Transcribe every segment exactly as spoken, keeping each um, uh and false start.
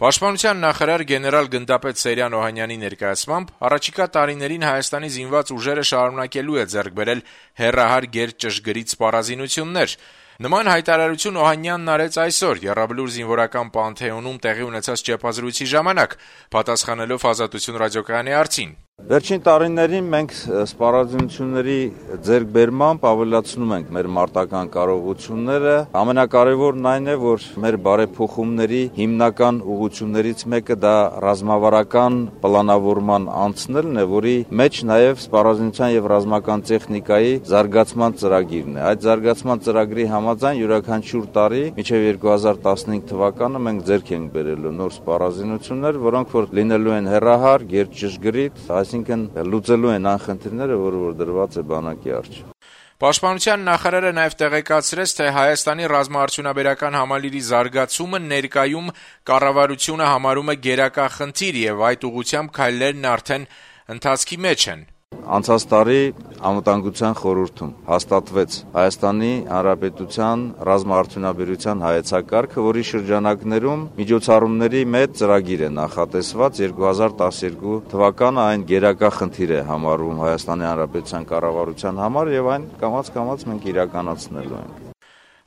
Պաշտպանության նախարար գեներալ գնդապետ Սերյան Օհանյանի ներկայացմամբ առաջիկա տարիներին Հայաստանի զինված ուժերը շարունակելու է ձեռք բերել հեռահար գերճշգրիտ սպառազինություններ։ Նման հայտարարություն Օհանյանն արեց այսօր Եռաբլուր զինվորական Պանթեոնում տեղի ունեցած ճեպազրույցի ժամանակ, պատասխանելով Ազատություն ռադիոկայանի հարցին։ Վերջին տարիներին մենք սպառազինությունների ձեռքբերմամբ ավելացնում ենք մեր մարտական կարողությունները։ Ամենակարևորն այն է, որ մեր բարեփոխումների հիմնական ուղղություններից մեկը դա ռազմավարական պլանավորման անցնելն է, որի մեջ նաև սպառազինության եւ ռազմական տեխնիկայի զարգացման ծրագիրն է։ Այդ զարգացման ծրագրի համաձայն յուրաքանչյուր տարի մինչեւ երկու հազար տասնհինգ թվականը մենք ձեռք ենք բերելու նոր սպառազինություններ, որոնք որ լինելու են հեռահար, գերճշգրիտ, այսինքն լուծելու են անխնդիրները, որը որ դրված է բանակի առջև։ Պաշտպանության նախարարը նաև տեղեկացրեց, թե Հայաստանի ռազմաարդյունաբերական համալիրի զարգացումը ներկայում կառավարությունը համարում է գերակա խնդիր եւ այդ ուղղությամբ քայլերն արդեն ընթացքի մեջ են։ Անցած տարի Անվտանգության խորհրդում հաստատվեց Հայաստանի Հանրապետության ռազմաարդյունաբերության հայեցակարգը, որի շրջանակներում միջոցառումների մեծ ծրագիր է նախատեսված երկու հազար տասներկու թվականը այն գերակա խնդիր է համարվում Հայաստանի Հանրապետության կառավարության համար եւ այն կամաց-կամաց մենք իրականացնելու ենք։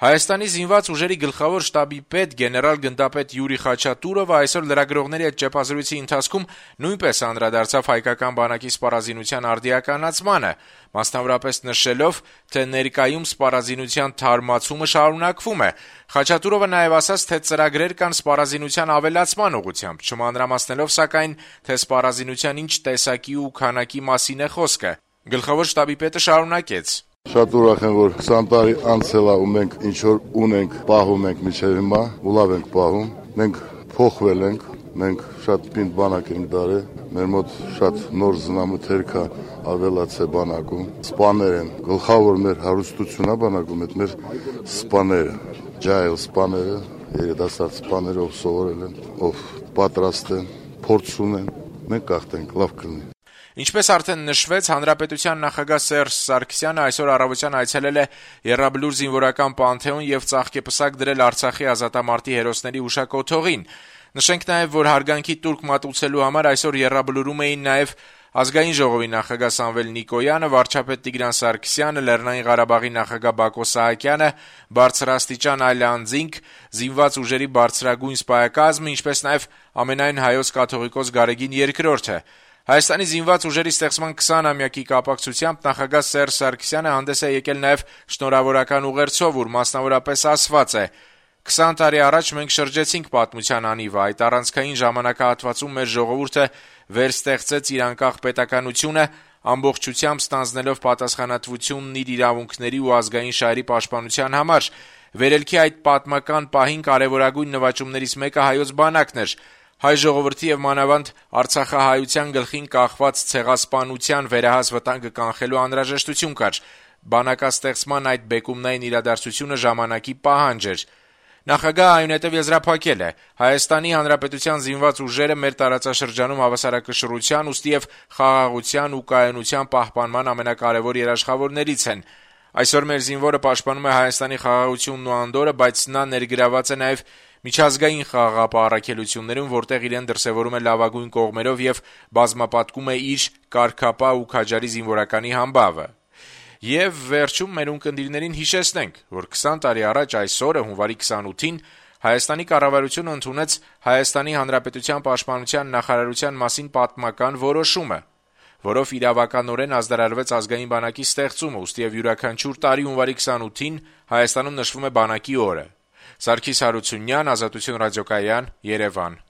Հայաստանի զինված ուժերի գլխավոր շտաբի պետ գեներալ գնդապետ Յուրի Խաչատուրովը այսօր լրագրողների հետ ճեպազրույցի ընթացքում նույնպես անդրադարձավ հայկական բանակի սպառազինության արդիականացմանը, մասնավորապես նշելով, թե ներկայում սպառազինության թարմացումը շարունակվում է։ Խաչատուրովը նաև ասաց, թե ծրագրեր կան սպառազինության ավելացման ուղղությամբ, չմանրամասնելով սակայն, թե սպառազինության ինչ տեսակի ու քանակի մասին է խոսքը։ Գլխավոր շտաբի պետը շարունակեց. Շատ ուրախ եմ, որ քսան տարի անցել է ու մենք ինչ որ ունենք, պահում ենք մինչև հիմա, ու լավ ենք պահում։ Մենք փոխվել ենք, մենք շատ պինդ բանակ ենք դարել, մեր մոտ շատ նոր զնամթեր կա ավելացե բանակում։ Սպաներ են, գլխավոր մեր հարստությունն է բանակում, այդ մեր սպաները, ջայլ սպաները, երիտասարդ սպաները, ով սովորել են, ով պատրաստ են, փորձ ունեն, մենք կախտենք, լավ կլինի։ Ինչպես արդեն նշվեց, Հանրապետության նախագահ Սերժ Սարգսյանը այսօր առավոտյան այցելել է Եռաբլուր զինվորական Պանթեոն եւ ծաղկեպսակ դրել Արցախի ազատամարտի հերոսների հուշակոթողին։ Նշենք նաեւ, որ հարգանքի տուրք մատուցելու համար այսօր Եռաբլուրում էին նաեւ Ազգային ժողովի նախագահ Սամվել Նիկոյանը, վարչապետ Տիգրան Սարգսյանը, Լեռնային Ղարաբաղի նախագահ Բակո Սահակյանը, բարձրաստիճան այլ անձինք, զինված ուժերի բարձրագույն սպայակազմը, ինչպես նաեւ ամենայն հայոց կաթողիկոս Գարեգին երկրորդը։ Հայաստանի զինված ուժերի ստեղծման քսանամյակի կապակցությամբ նախագահ Սերժ Սարգսյանը հանդես է եկել նաև շնորհավորական ուղերձով, ուր մասնավորապես ասված է. «քսան տարի առաջ մենք շրջեցինք պատմության անիվը, այդ առանցքային ժամանակահատվածում մեր ժողովուրդը վերստեղծեց իր անկախ պետականությունը, ամբողջությամբ ստանձնելով պատասխանատվությունն իր իրավունքների ու ազգային շահերի պաշտպանության համար։ Վերելքի այդ պատմական պահին կարևորագույն նվաճումներից մեկը հայոց բանակն էր։ Հայ ժողովրդի եւ մանավանդ Արցախահայության գլխին կախված ցեղասպանության վերահաս վտանգը կանխելու անհրաժեշտություն կար։ Բանակաստեղծման այդ բեկումնային իրադարձությունը ժամանակի պահանջ էր»։ Նախագահը այնուհետև եզրափակել է. «Հայաստանի Հանրապետության զինված ուժերը մեր տարածաշրջանում հավասարակշռության, ուստի եւ խաղաղության ու կայունության պահպանման ամենակարևոր երաշխավորներից են։ Այսօր մեր զինվորը պաշտպանում է Հայաստանի խաղաղությունն ու անդորրը, բայց նա ներգրաված է նաեւ միջազգային խաղաղապահ որտեղ իրեն դրսևորում է լավագույն կողմերով եւ բազմապատկում է իր կարգապահ ու քաջարի զինվորականի համբավը»։ Եվ վերջում մեր ունկնդիրներին հիշեցնենք, որ քսան տարի առաջ այսօրը հունվարի քսանութին Հայաստանի կառավարությունը ընդունեց Հայաստանի Հանրապետության պաշտպանության նախարարության մասին պատմական որոշումը, որով իրավականորեն ազդարարվեց ազգային բանակի ստեղծումը, ուստի եւ յուրաքանչյուր տարի հունվարի քսանութին Հայաստանում նշվում է բանակի օրը։ Սարգիս Հարությունյան, Ազատություն ռադիոկայան, Երևան։